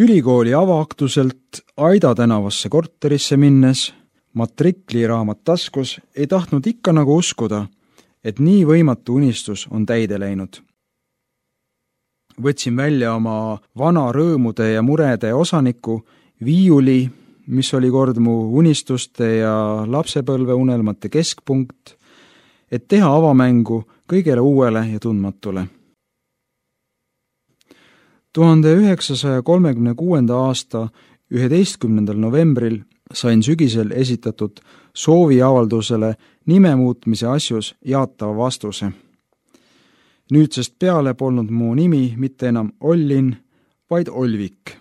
Ülikooli avaaktuselt Aida tänavasse korterisse minnes, matrikliraamat taskus, ei tahtnud ikka nagu uskuda, et nii võimatu unistus on täide läinud. Võtsin välja oma vana rõõmude ja murede osaniku, viiuli, mis oli kord mu unistuste ja lapsepõlve unelmate keskpunkt, et teha avamängu kõigele uuele ja tundmatule. 1936. aasta 11. novembril sain sügisel esitatud sooviavaldusele nime muutmise asjus jaatava vastuse. Nüüdsest peale polnud mu nimi mitte enam Ollin, vaid Olvik.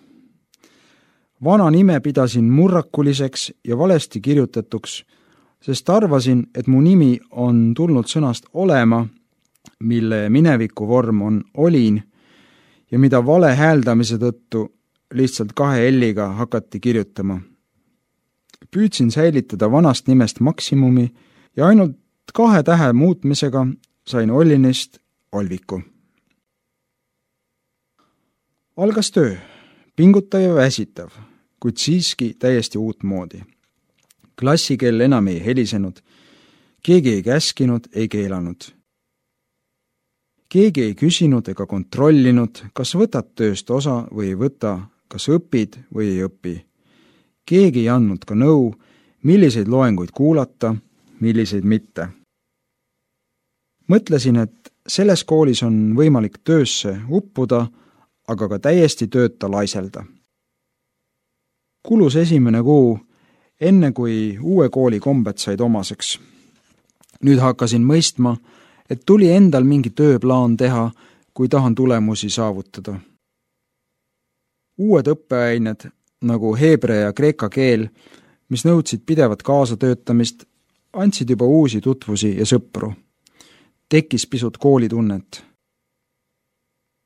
Vana nime pidasin murrakuliseks ja valesti kirjutatuks, sest arvasin, et mu nimi on tulnud sõnast olema, mille mineviku vorm on olin, ja mida vale hääldamise tõttu lihtsalt 2 L-iga hakati kirjutama. Püüdsin säilitada vanast nimest maksimumi ja ainult 2 tähe muutmisega sain Ollinist Olviku. Algas töö, pingutav ja väsitav, kuid siiski täiesti uutmoodi. Klassikell enam ei helisenud, keegi ei käskinud, ei keelanud. Keegi ei küsinud ega kontrollinud, kas võtad tööst osa või ei võta, kas õpid või ei õpi. Keegi ei andnud ka nõu, milliseid loenguid kuulata, milliseid mitte. Mõtlesin, et selles koolis on võimalik töösse uppuda, aga ka täiesti tööta laiselda. Kulus 1. kuu, enne kui uue kooli kombed said omaseks. Nüüd hakkasin mõistma, et tuli endal mingi tööplaan teha, kui tahan tulemusi saavutada. Uued õppeained, nagu heebrea ja kreeka keel, mis nõudsid pidevat kaasatöötamist, andsid juba uusi tutvusi ja sõpru. Tekkis pisut koolitunnet.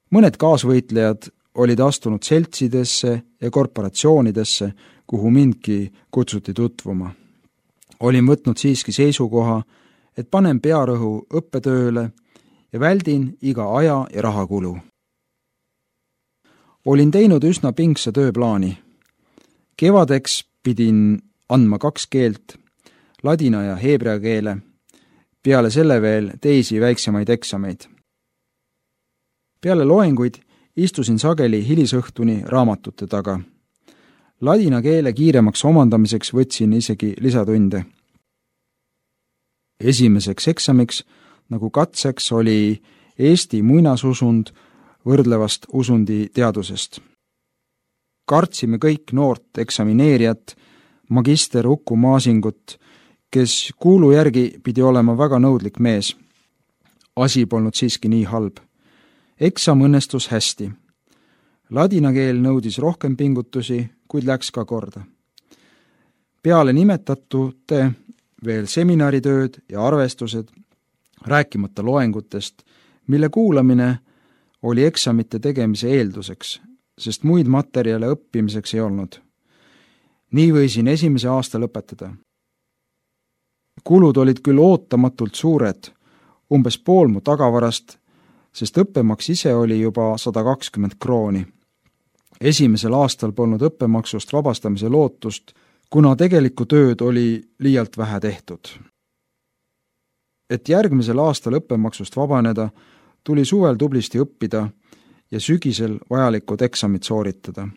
Mõned kaasvõitlejad olid astunud seltsidesse ja korporatsioonidesse, kuhu mindki kutsuti tutvuma. Olin võtnud siiski seisukoha, et panen pearõhu õppetööle ja väldin iga aja ja rahakulu. Olin teinud üsna pingsa tööplaani. Kevadeks pidin andma 2 keelt, ladina ja heebrea keele, peale selle veel teisi väiksemaid eksameid. Peale loenguid istusin sageli hilisõhtuni raamatute taga. Ladina keele kiiremaks omandamiseks võtsin isegi lisatunde. Esimeseks eksamiks, nagu katseks, oli Eesti muinasusund võrdlevast usundi teadusest. Kartsime kõik noort eksamineerijat, magister Uku Maasingut, kes kuulu järgi pidi olema väga nõudlik mees. Asi polnud siiski nii halb. Eksam õnnestus hästi. Ladina keel nõudis rohkem pingutusi, kuid läks ka korda. Peale nimetatute veel seminaritööd ja arvestused, rääkimata loengutest, mille kuulamine oli eksamite tegemise eelduseks, sest muid materjale õppimiseks ei olnud. Nii võisin 1. aasta lõpetada. Kulud olid küll ootamatult suured, umbes pool mu tagavarast, sest õppemaks ise oli juba 120 krooni. 1. aastal polnud õppemaksust vabastamise lootust, kuna tegelikku tööd oli liialt vähe tehtud. Et järgmisel aastal õppemaksust vabaneda, tuli suvel tublisti õppida ja sügisel vajalikud eksamid sooritada.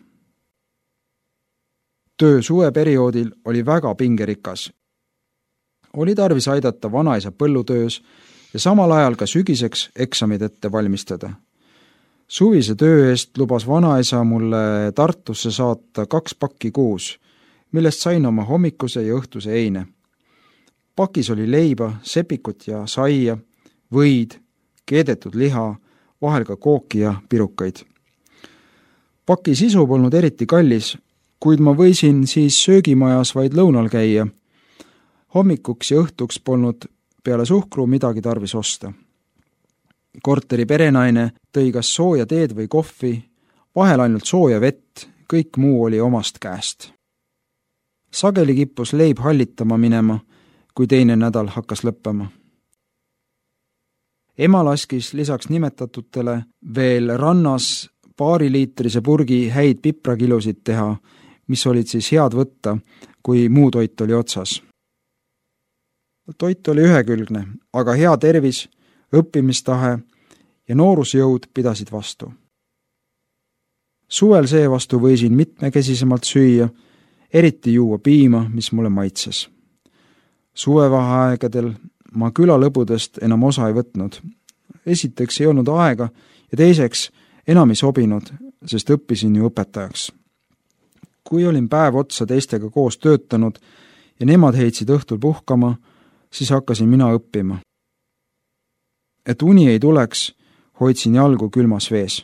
Töö suveperioodil oli väga pingerikas. Oli tarvis aidata vanaisa põllutöös ja samal ajal ka sügiseks eksamid ette valmistada. Suvise töö eest lubas vanaisa mulle Tartusse saata 2 pakki kuus, millest sain oma hommikuse ja õhtuse eine. Pakis oli leiba, sepikut ja saia, võid, keedetud liha, vahel ka kooki ja pirukaid. Paki sisu polnud eriti kallis, kuid ma võisin siis söögimajas vaid lõunal käia. Hommikuks ja õhtuks polnud peale suhkru midagi tarvis osta. Korteri perenaine tõi kas sooja teed või kohvi, vahel ainult sooja vett, kõik muu oli omast käest. Sageli kippus leib hallitama minema, kui teine nädal hakkas lõppema. Ema laskis lisaks nimetatutele veel rannas paariliitrise purgi häid piprakilusid teha, mis olid siis head võtta, kui muu toit oli otsas. Toit oli ühekülgne, aga hea tervis, õppimistahe ja noorusjõud pidasid vastu. Suvel seevastu võisin mitmekesisemalt süüa, eriti juua piima, mis mulle maitses. Suvevaheaegadel ma külalõbudest enam osa ei võtnud. Esiteks ei olnud aega ja teiseks enam ei sobinud, sest õppisin ju õpetajaks. Kui olin päev otsa teistega koos töötanud ja nemad heitsid õhtul puhkama, siis hakkasin mina õppima. Et uni ei tuleks, hoidsin jalgu külmas vees.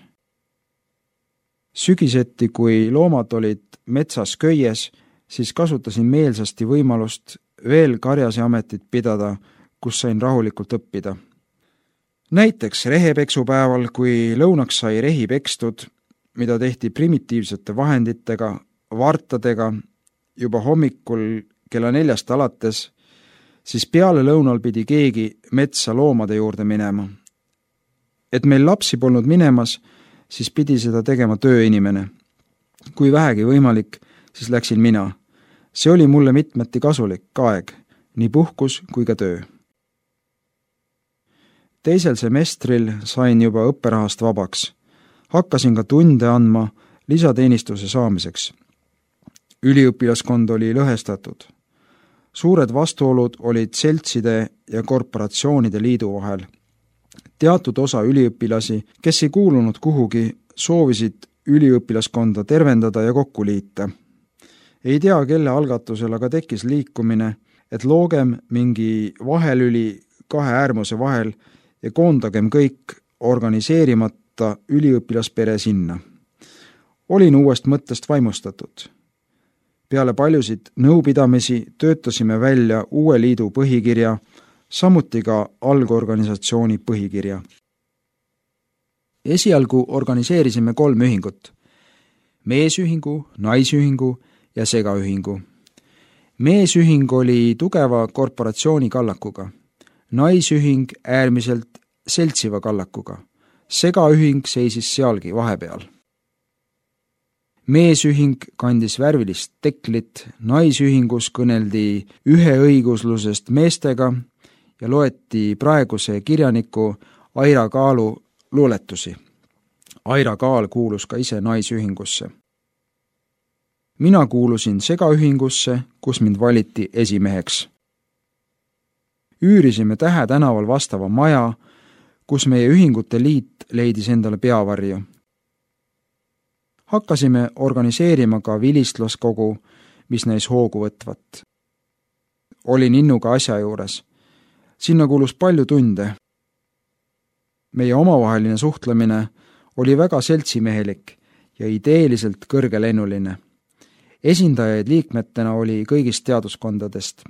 Sügiseti, kui loomad olid metsas köies, siis kasutasin meelsasti võimalust veel karjaseametit pidada, kus sain rahulikult õppida. Näiteks rehepeksupäeval, kui lõunaks sai rehi pekstud, mida tehti primitiivsete vahenditega, vartadega, juba hommikul kella 4 alates, siis peale lõunal pidi keegi metsa loomade juurde minema. Et meil lapsi polnud minemas, siis pidi seda tegema tööinimene. Kui vähegi võimalik, siis läksin mina. See oli mulle mitmeti kasulik aeg, nii puhkus kui ka töö. Teisel semestril sain juba õpperahast vabaks. Hakkasin ka tunde andma lisateenistuse saamiseks. Üliõpilaskond oli lõhestatud. Suured vastuolud olid seltside ja korporatsioonide liidu vahel. Teatud osa üliõpilasi, kes ei kuulunud kuhugi, soovisid üliõpilaskonda tervendada ja kokku liita. Ei tea, kelle algatusel aga tekkis liikumine, et loogem mingi vahelüli kahe äärmuse vahel ja koondagem kõik organiseerimata üliõpilaspere sinna. Olin uuest mõttest vaimustatud. Peale paljusid nõupidamisi töötasime välja uue liidu põhikirja, samuti ka algorganisatsiooni põhikirja. Esialgu organiseerisime 3 ühingut. Meesühingu, naisühingu ja segaühingu. Meesühing oli tugeva korporatsiooni kallakuga. Naisühing äärmiselt seltsiva kallakuga. Segaühing seisis sealgi vahepeal. Meesühing kandis värvilist teklit, naisühingus kõneldi üheõiguslusest meestega ja loeti praeguse kirjaniku Aira Kaalu luuletusi. Aira Kaal kuulus ka ise naisühingusse. Mina kuulusin segaühingusse, kus mind valiti esimeheks. Üürisime Tähe tänaval vastava maja, kus meie ühingute liit leidis endale peavarju. Hakkasime organiseerima ka vilistlaskogu, mis näis hoogu võtvat. Olin innuga asja juures. Sinna kuulus palju tunde. Meie omavaheline suhtlemine oli väga seltsimehelik ja ideeliselt kõrgelennuline. Esindajaid liikmetena oli kõigist teaduskondadest.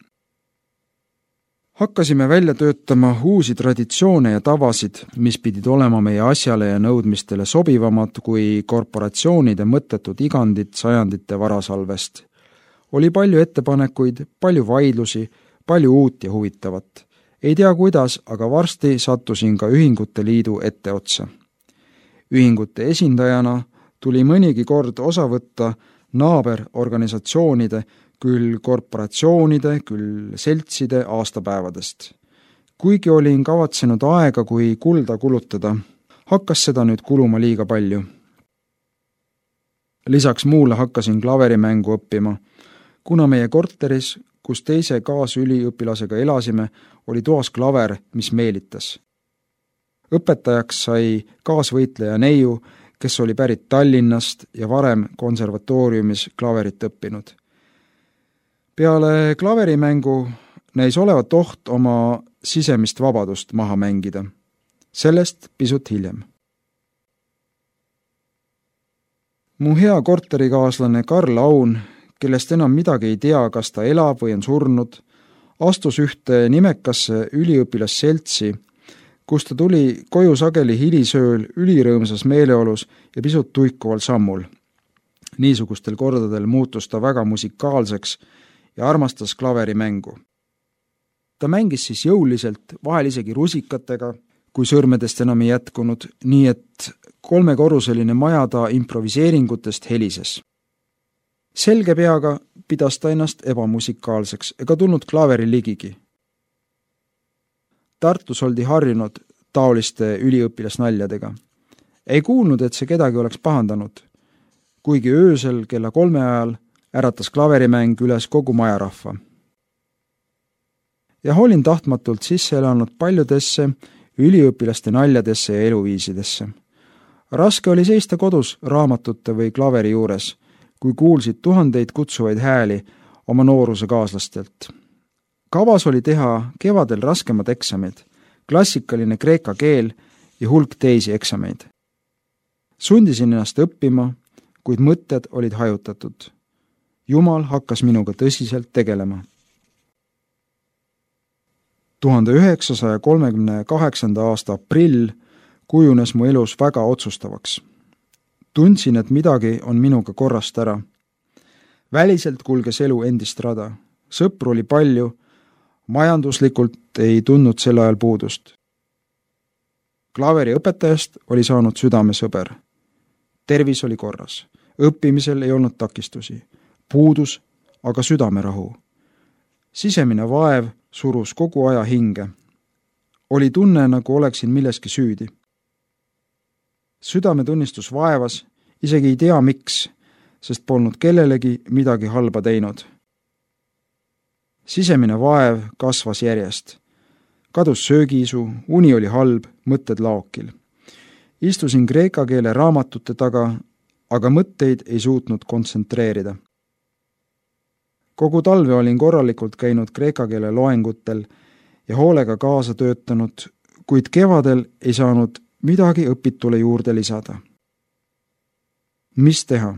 Hakkasime välja töötama uusi traditsioone ja tavasid, mis pidid olema meie asjale ja nõudmistele sobivamad kui korporatsioonide mõttetud igandid sajandite varasalvest. Oli palju ettepanekuid, palju vaidlusi, palju uut ja huvitavat. Ei tea kuidas, aga varsti sattusin ka ühingute liidu etteotsa. Ühingute esindajana tuli mõnigi kord osa võtta naaberorganisatsioonide, küll korporatsioonide, küll seltside aastapäevadest. Kuigi olin kavatsenud aega kui kulda kulutada, hakkas seda nüüd kuluma liiga palju. Lisaks muule hakkasin klaverimängu õppima, kuna meie korteris, kus teise kaasüliõpilasega elasime, oli toas klaver, mis meelitas. Õpetajaks sai kaasvõitleja neiu, kes oli pärit Tallinnast ja varem konservatooriumis klaverit õppinud. Peale klaverimängu näis olevat oht oma sisemist vabadust maha mängida. Sellest pisut hiljem. Mu hea korterikaaslane Karl Aun, kellest enam midagi ei tea, kas ta elab või on surnud, astus ühte nimekasse üliõpilasseltsi, kus ta tuli koju sageli hilisööl ülirõõmsas meeleolus ja pisut tuikuval sammul. Niisugustel kordadel muutus ta väga musikaalseks ja armastas klaverimängu. Ta mängis siis jõuliselt, vahel isegi rusikatega, kui sõrmedest enam ei jätkunud, nii et 3-korruseline maja ta improviseeringutest helises. Selge peaga pidas ta ennast ebamusikaalseks ega tulnud klaveri ligigi. Tartus oldi harjunud taoliste üliõpilasnaljadega. Ei kuulnud, et see kedagi oleks pahandanud, kuigi öösel kella 3 ajal äratas klaverimäng üles kogu majarahva. Ja olin tahtmatult sisse elanud paljudesse üliõpilaste naljadesse ja eluviisidesse. Raske oli seista kodus raamatute või klaveri juures, kui kuulsid tuhandeid kutsuvaid hääli oma nooruse kaaslastelt. Kavas oli teha kevadel raskemad eksamid, klassikaline kreeka keel ja hulk teisi eksameid. Sundisin ennast õppima, kuid mõtted olid hajutatud. Jumal hakkas minuga tõsiselt tegelema. 1938. aasta aprill kujunes mu elus väga otsustavaks. Tundsin, et midagi on minuga korrast ära. Väliselt kulges elu endist rada. Sõpru oli palju, majanduslikult ei tundnud sel ajal puudust. Klaveri õpetajast oli saanud südamesõber. Tervis oli korras. Õppimisel ei olnud takistusi. Puudus aga südamerahu. Sisemine vaev surus kogu aja hinge. Oli tunne, nagu oleksin milleski süüdi. Südametunnistus vaevas, isegi ei tea miks, sest polnud kellelegi midagi halba teinud. Sisemine vaev kasvas järjest. Kadus söögiisu, uni oli halb, mõtted laokil. Istusin kreeka keele raamatute taga, aga mõtteid ei suutnud kontsentreerida. Kogu talve olin korralikult käinud kreeka keele loengutel ja hoolega kaasa töötanud, kuid kevadel ei saanud midagi õpitule juurde lisada. Mis teha?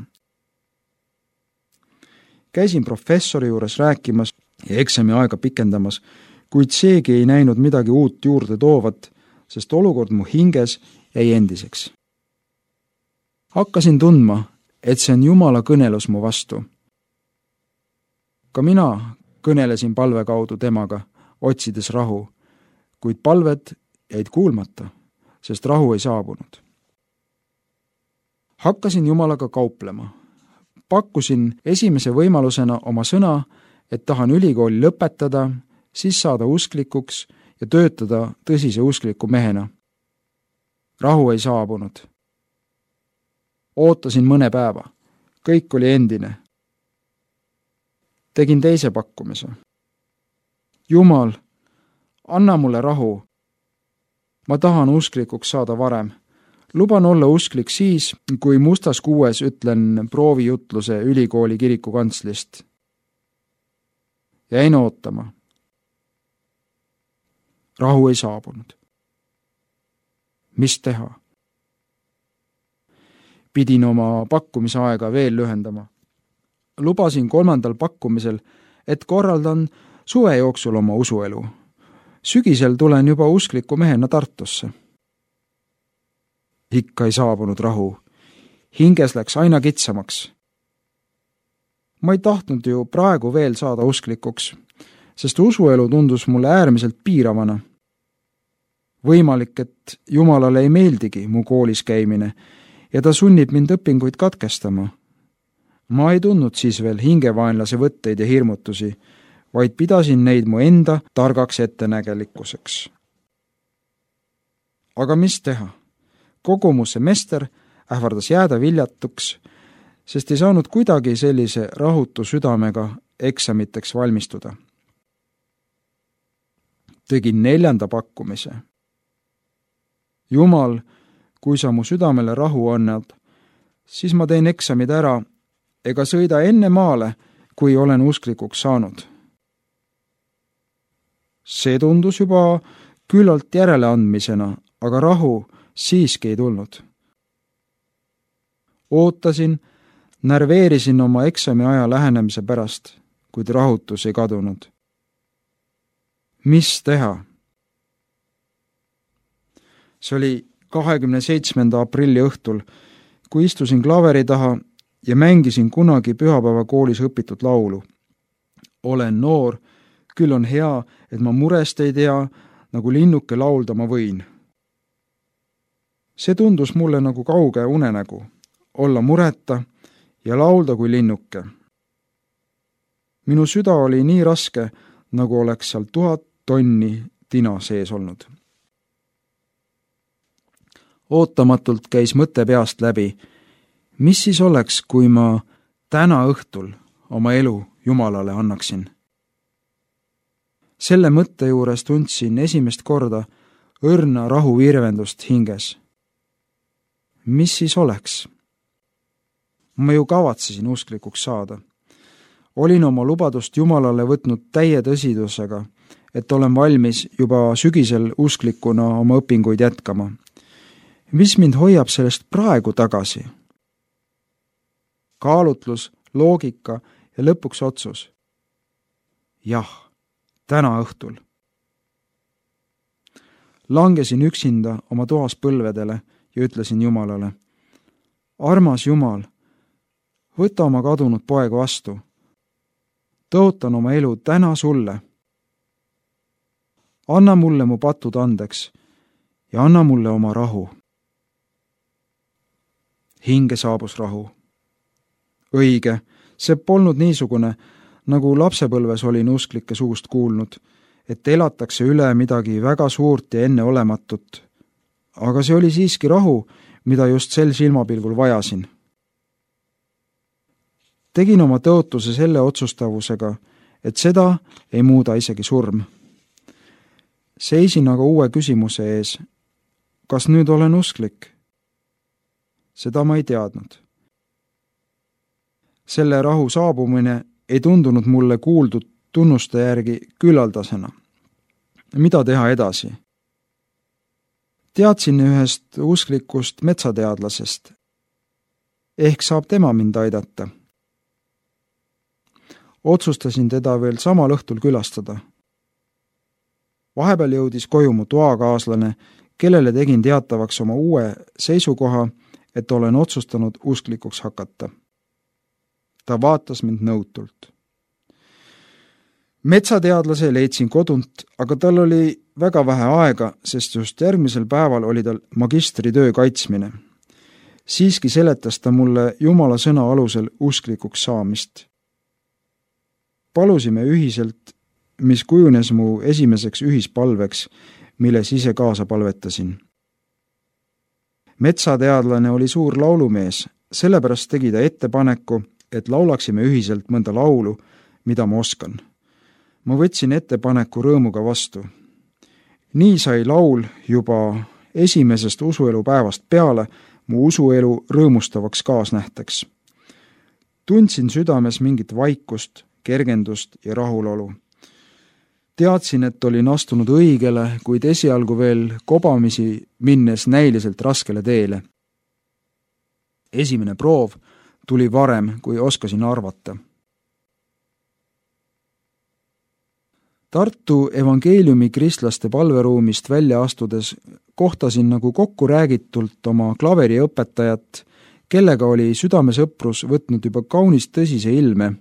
Käisin professori juures rääkimas ja eksami aega pikendamas, kuid seegi ei näinud midagi uut juurde toovat, sest olukord mu hinges jäi endiseks. Hakkasin tundma, et see on Jumala kõnelus mu vastu. Ka mina kõnelesin palve kaudu temaga, otsides rahu, kuid palved jäid kuulmata, sest rahu ei saabunud. Hakkasin Jumalaga kauplema. Pakkusin esimese võimalusena oma sõna, et tahan ülikooli lõpetada, siis saada usklikuks ja töötada tõsise uskliku mehena. Rahu ei saabunud. Ootasin mõne päeva. Kõik oli endine. Tegin teise pakkumise. Jumal, anna mulle rahu. Ma tahan usklikuks saada varem. Luban olla usklik siis, kui mustas kuues ütlen proovijutluse ülikooli kiriku kantslist. Jäin ootama. Rahu ei saabunud. Mis teha? Pidin oma pakkumise aega veel lühendama. Lubasin 3. pakkumisel, et korraldan suve jooksul oma usuelu. Sügisel tulen juba uskliku mehena Tartusse. Ikka ei saabunud rahu. Hinges läks aina kitsamaks. Ma ei tahtnud ju praegu veel saada usklikuks, sest usuelu tundus mulle äärmiselt piiravana. Võimalik, et Jumalale ei meeldigi mu koolis käimine ja ta sunnib mind õpinguid katkestama. Ma ei tundnud siis veel hingevaenlase võtteid ja hirmutusi, vaid pidasin neid mu enda targaks ettenägelikkuseks. Aga mis teha? Kogu mu semester ähvardas jääda viljatuks, sest ei saanud kuidagi sellise rahutu südamega eksamiteks valmistuda. Tegin 4. pakkumise. Jumal, kui sa mu südamele rahu annad, siis ma teen eksamid ära ega sõida enne maale, kui olen usklikuks saanud. See tundus juba küllalt järeleandmisena, aga rahu siiski ei tulnud. Ootasin, närveerisin oma eksami aja lähenemise pärast, kuid rahutus ei kadunud. Mis teha? See oli 27. aprilli õhtul, kui istusin klaveri taha ja mängisin kunagi pühapäevakoolis õpitud laulu. Olen noor, küll on hea, et ma murest ei tea, nagu linnuke laulda ma võin. See tundus mulle nagu kauge unenägu, olla mureta ja laulda kui linnuke. Minu süda oli nii raske, nagu oleks seal 1000 tonni tina sees olnud. Ootamatult käis mõte peast läbi, mis siis oleks, kui ma täna õhtul oma elu Jumalale annaksin. Selle mõtte juures tundsin esimest korda õrna rahuvirvendust hinges. Mis siis oleks? Ma ju kavatsesin usklikuks saada. Olin oma lubadust Jumalale võtnud täie tõsidusega, et olen valmis juba sügisel usklikuna oma õpinguid jätkama. Mis mind hoiab sellest praegu tagasi? Kaalutlus, loogika ja lõpuks otsus. Jah, täna õhtul. Langesin üksinda oma toas põlvedele ja ütlesin Jumalale, armas Jumal, võta oma kadunud poeg vastu. Tõotan oma elu täna sulle. Anna mulle mu patud andeks ja anna mulle oma rahu. Hinge saabus rahu. Õige, see polnud niisugune, nagu lapsepõlves olin usklike suust kuulnud, et elatakse üle midagi väga suurt ja enneolematut. Aga see oli siiski rahu, mida just sel silmapilgul vajasin. Tegin oma tõotuse selle otsustavusega, et seda ei muuda isegi surm. Seisin aga uue küsimuse ees. Kas nüüd olen usklik? Seda ma ei teadnud. Selle rahu saabumine ei tundunud mulle kuuldud tunnuste järgi küllaldasena. Mida teha edasi? Teadsin ühest usklikust metsateadlasest. Ehk saab tema mind aidata. Otsustasin teda veel samal õhtul külastada. Vahepeal jõudis koju mu toakaaslane, kellele tegin teatavaks oma uue seisukoha, et olen otsustanud usklikuks hakata. Ta vaatas mind nõutult. Metsateadlase leidsin kodunt, aga tal oli väga vähe aega, sest just järgmisel päeval oli tal magistritöö kaitsmine. Siiski seletas ta mulle Jumala sõna alusel usklikuks saamist. Palusime ühiselt, mis kujunes mu esimeseks ühispalveks, milles ise kaasa palvetasin. Metsateadlane oli suur laulumees, sellepärast tegi ta ettepaneku, et laulaksime ühiselt mõnda laulu, mida ma oskan. Ma võtsin ettepaneku rõõmuga vastu. Nii sai laul juba esimesest usuelu päevast peale mu usuelu rõõmustavaks kaasnähteks. Tundsin südames mingit vaikust, kergendust ja rahulolu. Teadsin, et olin astunud õigele, kuid esialgu veel kobamisi minnes näiliselt raskele teele. Esimene proov tuli varem, kui oskasin arvata. Tartu evangeeliumi kristlaste palveruumist välja astudes kohtasin nagu kokku räägitult oma klaveriõpetajat, kellega oli südamesõprus võtnud juba kaunis tõsise ilme,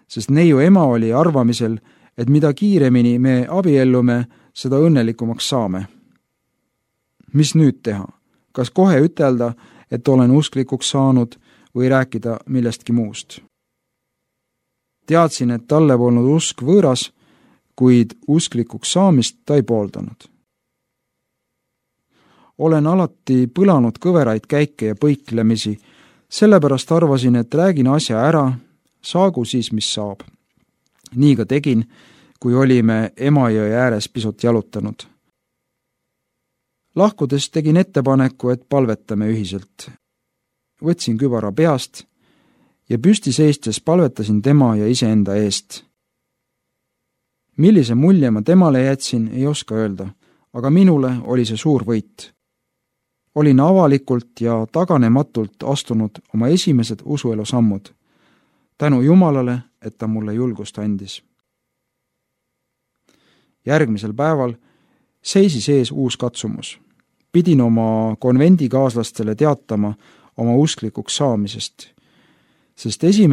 sest neiu ema oli arvamisel, et mida kiiremini me abiellume, seda õnnelikumaks saame. Mis nüüd teha? Kas kohe ütelda, et olen usklikuks saanud või rääkida millestki muust? Teadsin, et talle polnud usk võõras, kuid usklikuks saamist ta ei pooldanud. Olen alati põlanud kõveraid käike ja põiklemisi, sellepärast arvasin, et räägin asja ära, saagu siis, mis saab. Nii ka tegin, kui olime Emajõe ääres pisut jalutanud. Lahkudes tegin ettepaneku, et palvetame ühiselt. Võtsin kübara peast ja püsti seistes palvetasin tema ja iseenda eest. Millise mulje ma temale jätsin, ei oska öelda, aga minule oli see suur võit. Olin avalikult ja taganematult astunud oma esimesed usuelu sammud. Tänu Jumalale, et ta mulle julgust andis. Järgmisel päeval seisis ees uus katsumus. Pidin oma konvendikaaslastele teatama oma usklikuks saamisest, sest 1.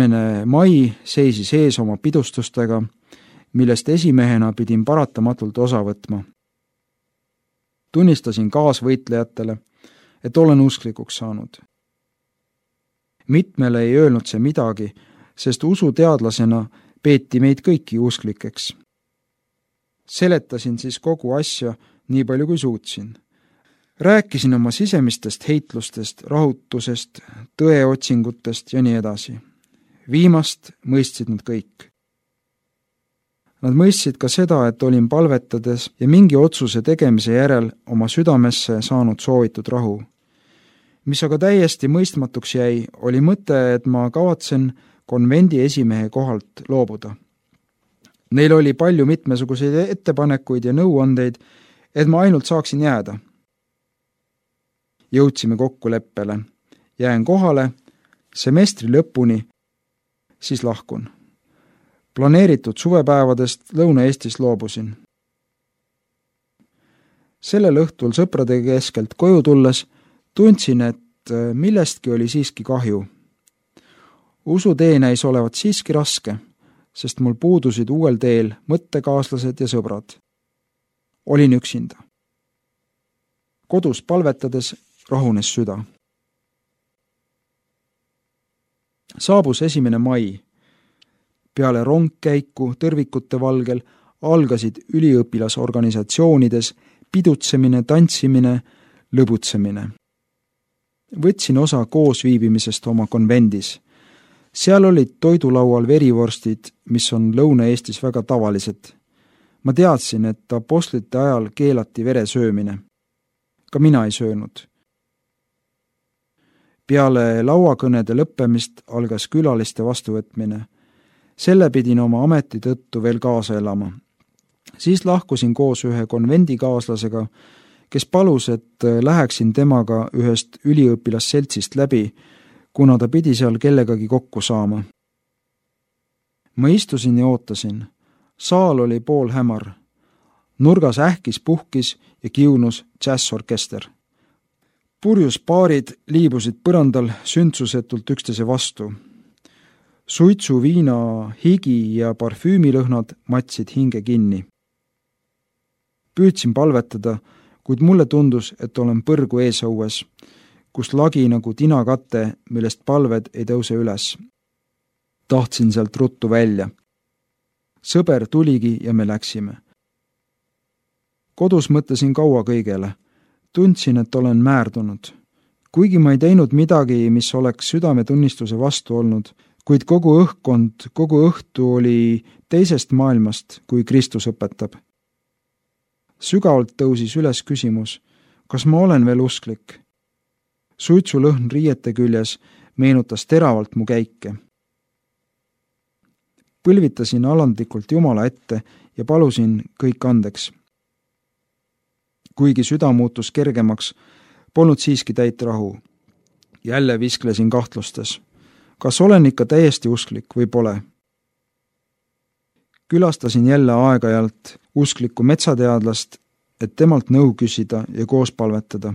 mai seisis ees oma pidustustega, millest esimehena pidin paratamatult osa võtma. Tunnistasin kaasvõitlejatele, et olen usklikuks saanud. Mitmele ei öelnud see midagi, sest usuteadlasena peeti meid kõiki usklikeks. Seletasin siis kogu asja nii palju kui suutsin. Rääkisin oma sisemistest heitlustest, rahutusest, tõeotsingutest ja nii edasi. Viimast mõistsid nad kõik. Nad mõistsid ka seda, et olin palvetades ja mingi otsuse tegemise järel oma südamesse saanud soovitud rahu. Mis aga täiesti mõistmatuks jäi, oli mõte, et ma kavatsen konvendi esimehe kohalt loobuda. Neil oli palju mitmesuguseid ettepanekuid ja nõuandeid, et ma ainult saaksin jääda. Jõudsime kokkuleppele. Jään kohale, semestri lõpuni, siis lahkun. Planeeritud suvepäevadest Lõuna-Eestis loobusin. Sellel õhtul sõprade keskelt koju tulles tundsin, et millestki oli siiski kahju. Usutee näis olevat siiski raske, sest mul puudusid uuel teel mõttekaaslased ja sõbrad. Olin üksinda. Kodus palvetades rahunes süda. Saabus 1. mai. Peale rongkäiku tõrvikute valgel algasid üliõpilasorganisatsioonides pidutsemine, tantsimine, lõbutsemine. Võtsin osa koosviibimisest oma konvendis. Seal olid toidulaual verivorstid, mis on Lõuna-Eestis väga tavalised. Ma teadsin, et apostlite ajal keelati vere söömine. Ka mina ei söönud. Peale lauakõnede lõppemist algas külaliste vastuvõtmine. Selle pidin oma ameti tõttu veel kaasa elama. Siis lahkusin koos ühe konvendikaaslasega, kes palus, et läheksin temaga ühest üliõpilasseltsist läbi, kuna ta pidi seal kellegagi kokku saama. Ma istusin ja ootasin. Saal oli poolhämar. Nurgas ähkis, puhkis ja kiunus džässorkester. Purjus paarid liibusid põrandal sündsusetult üksteise vastu. Suitsu, viina, higi ja parfüümilõhnad matsid hinge kinni. Püüdsin palvetada, kuid mulle tundus, et olen põrgu eesõues, kus lagi nagu tinakate, millest palved ei tõuse üles. Tahtsin sealt ruttu välja. Sõber tuligi ja me läksime. Kodus mõtlesin kaua kõigele. Tundsin, et olen määrdunud. Kuigi ma ei teinud midagi, mis oleks südametunnistuse vastu olnud, kuid kogu õhkkond, kogu õhtu oli teisest maailmast, kui Kristus õpetab. Sügavalt tõusis üles küsimus, kas ma olen veel usklik? Suitsulõhn riiete küljes meenutas teravalt mu käike. Põlvitasin alandlikult Jumala ette ja palusin kõik andeks. Kuigi süda muutus kergemaks, polnud siiski täit rahu. Jälle visklesin kahtlustes. Kas olen ikka täiesti usklik või pole? Külastasin jälle aeg-ajalt usklikku metsateadlast, et temalt nõu küsida ja koos palvetada.